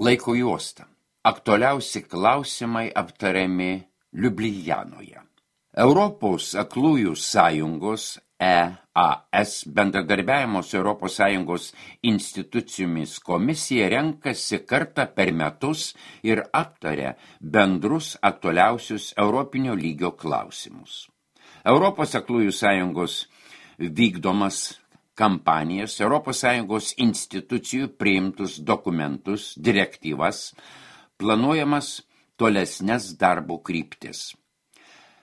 Laiko juosta. Aktualiausi klausimai aptariami Liublianoje. Europos aklųjų sąjungos EAS bendradarbiavimo su Europos Sąjungos institucijomis komisija renkasi kartą per metus ir aptaria bendrus aktualiausius europinio lygio klausimus. Europos aklųjų sąjungos vykdomas kampanijas, Europos Sąjungos institucijų priimtus dokumentus, direktyvas, planuojamas tolesnes darbo kryptis.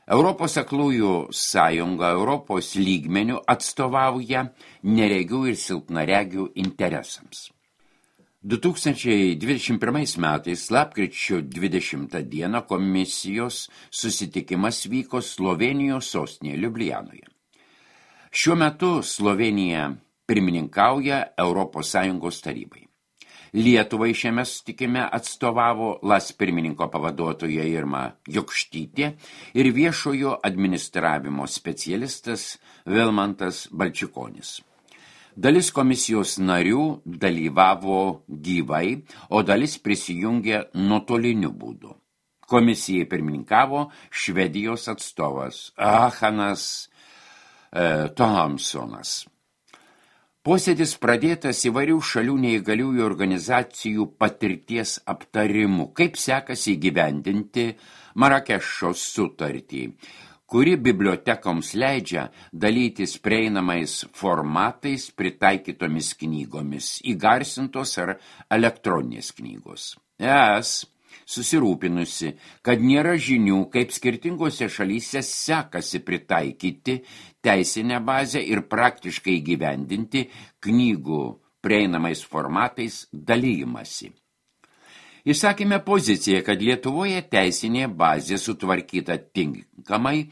Europos aklųjų sąjunga Europos lygmenių atstovauja neregių ir silpnaregių interesams. 2021 metais lapkričio 20 dieną komisijos susitikimas vyko Slovėnijos sostinėje Liublianoje. Šiuo metu Slovenija pirmininkauja Europos Sąjungos tarybai. Lietuvai šiame susitikime atstovavo LAS pirmininko pavaduotoja Irma Jokštytė ir viešojo administravimo specialistas Vilmantas Balčikonis. Dalis komisijos narių dalyvavo gyvai, o dalis prisijungė nuotoliniu būdu. Komisijai pirmininkavo Švedijos atstovas Hanas Thomsonas. Posėdis pradėtas įvairių šalių neįgaliųjų organizacijų patirties aptarimų, kaip sekasi įgyvendinti Marakešo sutartį, kuri bibliotekoms leidžia dalytis prieinamais formatais pritaikytomis knygomis, įgarsintos ar elektroninės knygos. ES susirūpinusi, kad nėra žinių, kaip skirtingose šalyse sekasi pritaikyti teisinę bazę ir praktiškai įgyvendinti knygų prieinamais formatais dalijimąsi. Išsakėme poziciją, kad Lietuvoje teisinė bazė sutvarkyta tinkamai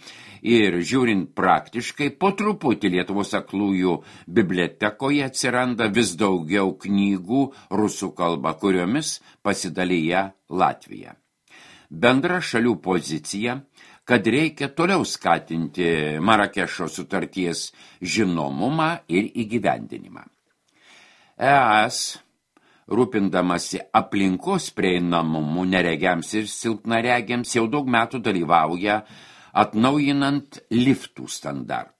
ir žiūrint praktiškai, po truputį Lietuvos aklųjų bibliotekoje atsiranda vis daugiau knygų rusų kalba, kuriomis pasidalyja Latvija. Bendra šalių pozicija, kad reikia toliau skatinti Marakešo sutarties žinomumą ir įgyvendinimą. ES rūpindamasi aplinkos prieinamumu neregiams ir silpnaregiams jau daug metų dalyvauja atnaujinant liftų standartą.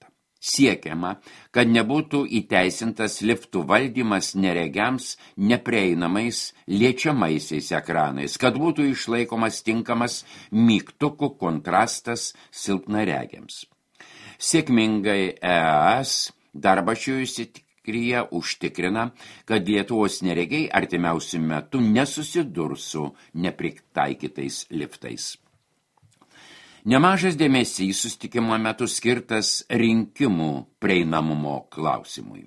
Siekiama, kad nebūtų įteisintas liftų valdymas neregiams neprieinamais liečiamaisiais ekranais, kad būtų išlaikomas tinkamas mygtukų kontrastas silpnaregiams. Sėkmingai ES darbą šioje srityje užtikrina, kad Lietuvos neregiai artimiausiu metu nesusidurs su nepritaikytais liftais. Nemažas dėmesys susitikimo metu skirtas rinkimų prieinamumo klausimui.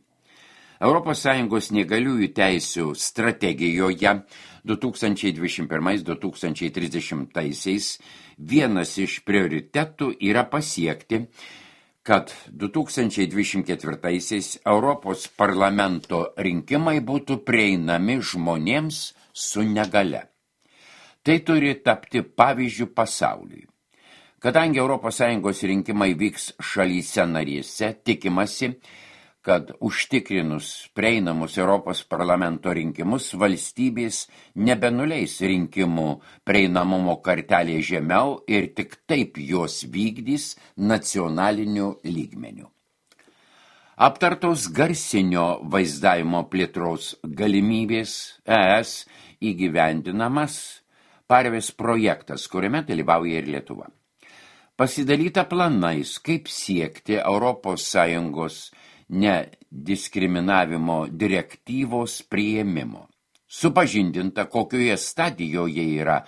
ES neįgaliųjų teisių strategijoje 2021-2030 vienas iš prioritetų yra pasiekti, kad 2024 Europos parlamento rinkimai būtų prieinami žmonėms su negalia. Tai turi tapti pavyzdžiu pasauliui. Kadangi ES rinkimai vyks šalyse narėse, tikimasi, kad užtikrinus prieinamus Europos parlamento rinkimus valstybės nebenuleis rinkimų prieinamumo kartelė žemiau ir tik taip jos vykdys nacionaliniu lygmeniu. Aptartos garsinio vaizdavimo plėtros galimybės ES įgyvendinamas Parvės projektas, kuriame dalyvauja ir Lietuva. Pasidalyta planais, kaip siekti ES nediskriminavimo direktyvos priėmimo. Supažindinta, kokioje stadijoje yra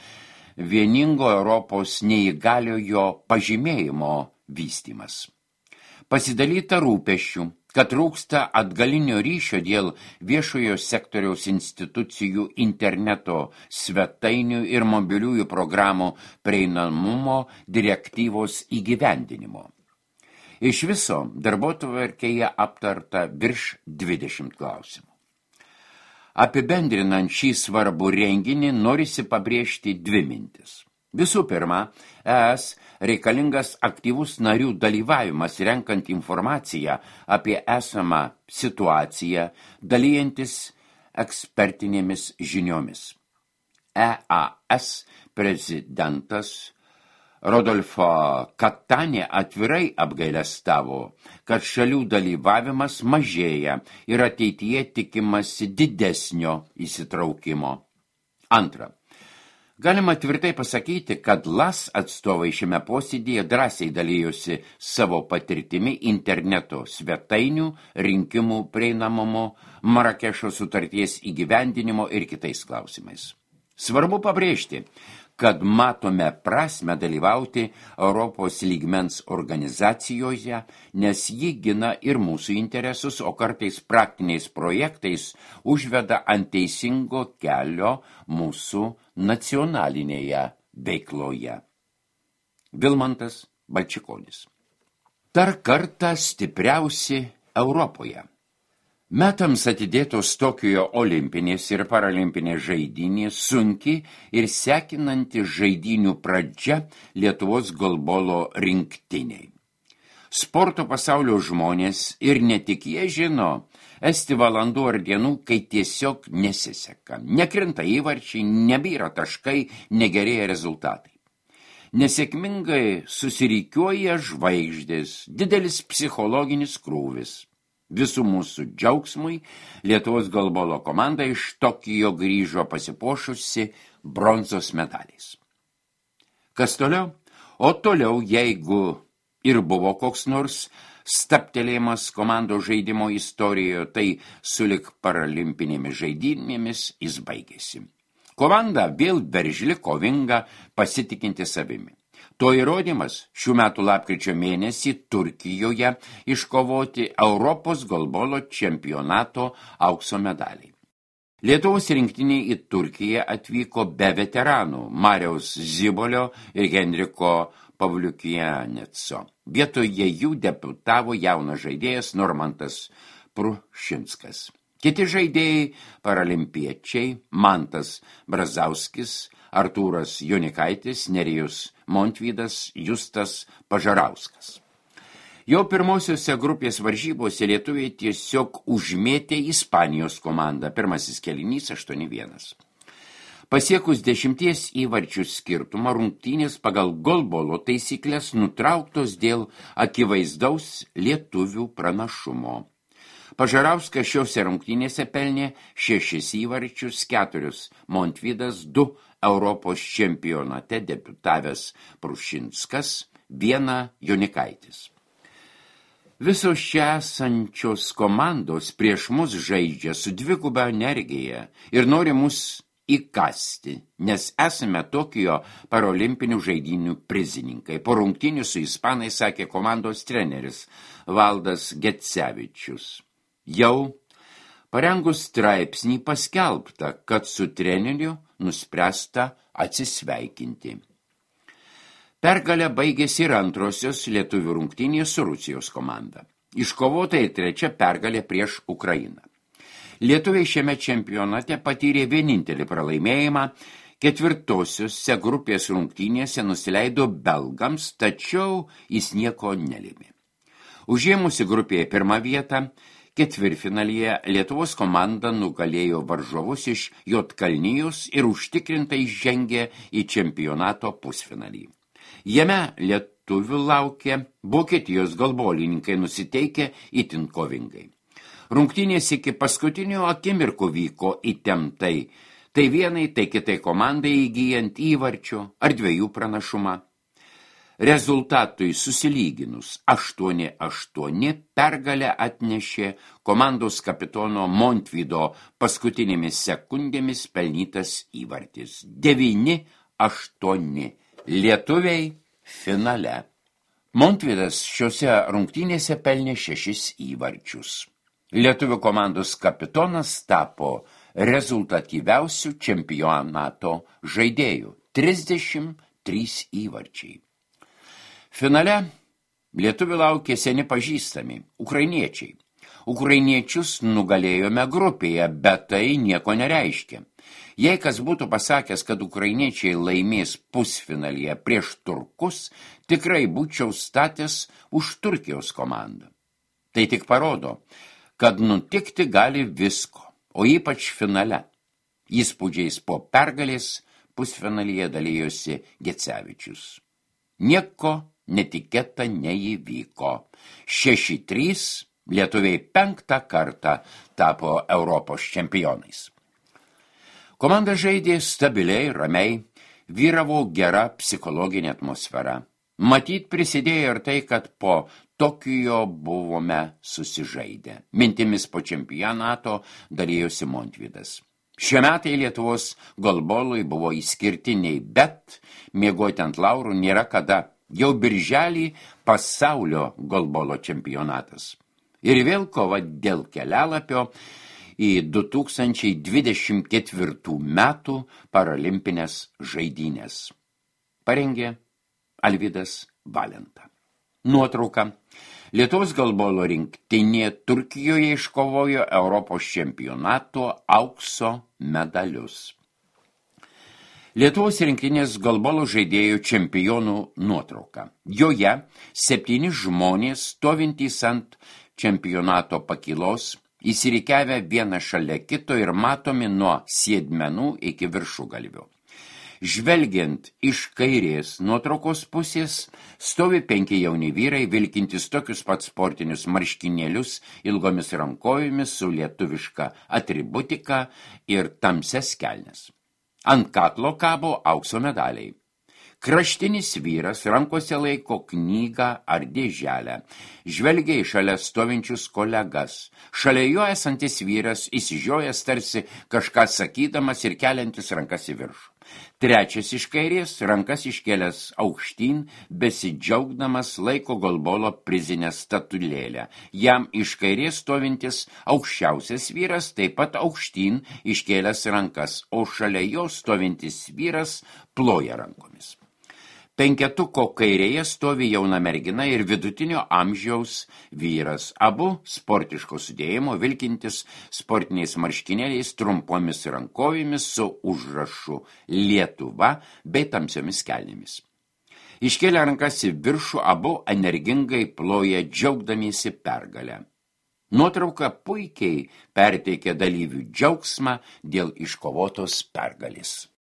vieningo Europos neįgaliojo pažymėjimo vystymas. Pasidalyta rūpesčių, kad trūksta atgalinio ryšio dėl viešojo sektoriaus institucijų interneto svetainių ir mobiliųjų programų prieinamumo direktyvos įgyvendinimo. Iš viso darbotvarkėje aptarta virš 20 klausimų. Apibendrinant šį svarbų renginį, norisi pabrėžti dvi mintis. Visų pirma, ES reikalingas aktyvus narių dalyvavimas renkant informaciją apie esamą situaciją, dalyjantis ekspertinėmis žiniomis. EAS prezidentas Rodolfo Cattanė atvirai apgailestavo, kad šalių dalyvavimas mažėja ir ateityje tikimasi didesnio įsitraukimo. Antra. Galima tvirtai pasakyti, kad LAS atstovai šiame posėdėje drąsiai dalyjosi savo patirtimi interneto svetainių, rinkimų prieinamumo, Marakešo sutarties įgyvendinimo ir kitais klausimais. Svarbu pabrėžti, kad matome prasmę dalyvauti Europos lygmens organizacijoje, nes ji gina ir mūsų interesus, o kartais praktiniais projektais užveda ant teisingo kelio mūsų nacionalinėje veikloje. Vilmantas Balčikonis. Dar kartą stipriausi Europoje. Metams atidėtos Tokijo olimpinės ir paralimpinės žaidynės sunki ir sekinanti žaidynių pradžia Lietuvos golbolo rinktiniai. Sporto pasaulio žmonės ir ne tik jie žino, esti valandų ar dienų, kai tiesiog nesiseka. Nekrinta įvarčiai, nebyra taškai, negerėja rezultatai. Nesėkmingai susirikiuoja žvaigždės, didelis psichologinis krūvis. Visų mūsų džiaugsmui Lietuvos golbolo komanda iš Tokijo grįžo pasipuošusi bronzos medaliais. Kas toliau? O toliau, jeigu ir buvo koks nors stabtelėjimas komandos žaidimo istorijoje, tai sulig paralimpinėmis žaidynėmis jis baigėsi. Komanda vėl veržli, kovinga, pasitikinti savimi. To įrodymas šių metų lapkričio mėnesį Turkijoje iškovoti Europos golbolo čempionato aukso medaliai. Lietuvos rinktiniai į Turkiją atvyko be veteranų Mariaus Zibolio ir Henriko Pavliukianeco. Vietoje jų debutavo jaunas žaidėjas Normantas Prušinskas. Kiti žaidėjai paralimpiečiai Mantas Brazauskis, Artūras Jonikaitis, Nerijus Montvydas, Justas Pažarauskas. Jau pirmosiose grupės varžybose lietuviai tiesiog užmėtė Ispanijos komandą. Pirmasis kėlinys 8-1. Pasiekus 10 įvarčių skirtumą, rungtynės pagal golbolo taisyklės nutrauktos dėl akivaizdaus lietuvių pranašumo. Pažarauskas šiose rungtynėse pelnė 6 įvarčius, 4 Montvydas, 2 Europos čempionate debiutavęs Prušinskas, 1 Jonikaitis. Visos čia esančios komandos prieš mus žaidžia su dviguba energija ir nori mus įkasti, nes esame Tokijo parolimpinių žaidynių prizininkai. Po rungtynių su ispanais sakė komandos treneris Valdas Gecevičius. Jau parengus straipsnį paskelbta, kad su treneriu nuspręsta atsisveikinti. Pergalę baigėsi ir antrosios lietuvių rungtynės su Rusijos komanda. Iškovota ir 3 pergalė prieš Ukrainą. Lietuviai šiame čempionate patyrė vienintelį pralaimėjimą, 4 grupės rungtynėse nusileido belgams, tačiau jis nieko nelėmė. Užėmusi grupėje 1 vietą, 4-finalyje Lietuvos komanda nugalėjo varžovus iš Juodkalnijos ir užtikrintai žengė į čempionato pusfinalį. Jame lietuvių laukė Vokietijos golbolininkai nusiteikę itin kovingai. Rungtynės iki paskutinio akimirkų vyko įtemptai, tai vienai, tai kitai komandai įgyjant įvarčio ar 2 pranašumą. Rezultatui susilyginus 8-8 pergalę atnešė komandos kapitono Montvydo paskutinėmis sekundėmis pelnytas įvartis. 9-8. Lietuviai finale. Montvydas šiose rungtynėse pelnė 6 įvarčius. Lietuvių komandos kapitonas tapo rezultatyviausių čempionato žaidėjų. 33 įvarčiai. Finale lietuvių laukė seni pažįstami – ukrainiečiai. Ukrainiečius nugalėjome grupėje, bet tai nieko nereiškia. Jei kas būtų pasakęs, kad ukrainiečiai laimės pusfinalyje prieš turkus, tikrai būčiau statęs už Turkijos komandą. Tai tik parodo, kad nutikti gali visko, o ypač finale. Įspūdžiais po pergalės pusfinalyje dalyjosi Gecevičius. Nieko netikėta neįvyko. 6-3 lietuviai 5 kartą tapo Europos čempionais. Komanda žaidė stabiliai, ramiai, vyravo gera psichologinė atmosfera. Matyt, prisidėjo ir tai, kad po Tokijo buvome susižaidę. Mintimis po čempionato dalyjosi Montvydas. Šie metai Lietuvos golbolui buvo išskirtiniai, bet miegoti ant laurų nėra kada. Jau birželį pasaulio golbolo čempionatas. Ir vėl kova dėl kelialapio į 2024 metų paralimpinės žaidynės. Parengė Alvydas Valenta. Nuotrauka. Lietuvos golbolo rinktinė Turkijoje iškovojo Europos čempionato aukso medalius. Lietuvos rinktinės golbolo žaidėjų čempionų nuotrauka. Joje 7 žmonės stovintys ant čempionato pakylos, įsirikiavę vieną šalia kito ir matomi nuo sėdmenų iki viršugalvio. Žvelgiant iš kairės nuotraukos pusės, stovi 5 jauni vyrai, vilkintys tokius pat sportinius marškinėlius ilgomis rankojomis su lietuviška atributika ir tamsias kelnes. Ant kaklo kabo aukso medaliai. Kraštinis vyras rankose laiko knygą ar dėželę. Žvelgia į šalia stovinčius kolegas. Šalia jo esantis vyras įsižiojęs tarsi kažką sakydamas ir keliantis rankas į viršų. Trečias iš kairės, rankas iškėlęs aukštyn, besidžiaugdamas laiko golbolo prizinę statulėlę. Jam iš kairės stovintis aukščiausias vyras, taip pat aukštyn iškėlęs rankas, o šalia jo stovintis vyras ploja rankomis. Penketuko kairėje stovi jauna mergina ir vidutinio amžiaus vyras. Abu sportiško sudėjimo, vilkintis sportiniais marškinėliais, trumpomis rankovėmis su užrašu Lietuva bei tamsiomis kelnėmis. Iškėlę rankas į viršų, abu energingai ploja džiaugdamiesi pergalę. Nuotrauka puikiai perteikia dalyvių džiaugsmą dėl iškovotos pergalės.